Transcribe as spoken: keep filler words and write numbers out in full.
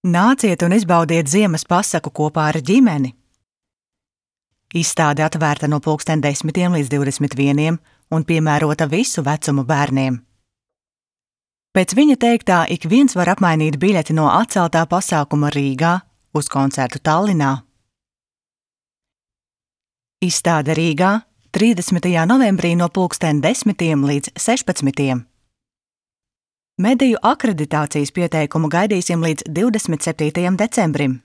Nāciet un izbaudiet ziemas pasaku kopā ar ģimeni! Izstāde atvērta no pulksten desmitiem līdz divdesmit vieniem un piemērota visu vecumu bērniem. Pēc viņa teiktā, ik viens var apmainīt biļeti no atceltā pasākuma Rīgā uz koncertu Tallinā. Izstāde Rīgā trīsdesmitajā novembrī no pulksten desmitiem līdz sešpadsmitiem. Mediju akreditācijas pieteikumu gaidīsim līdz divdesmit septītajam decembrim.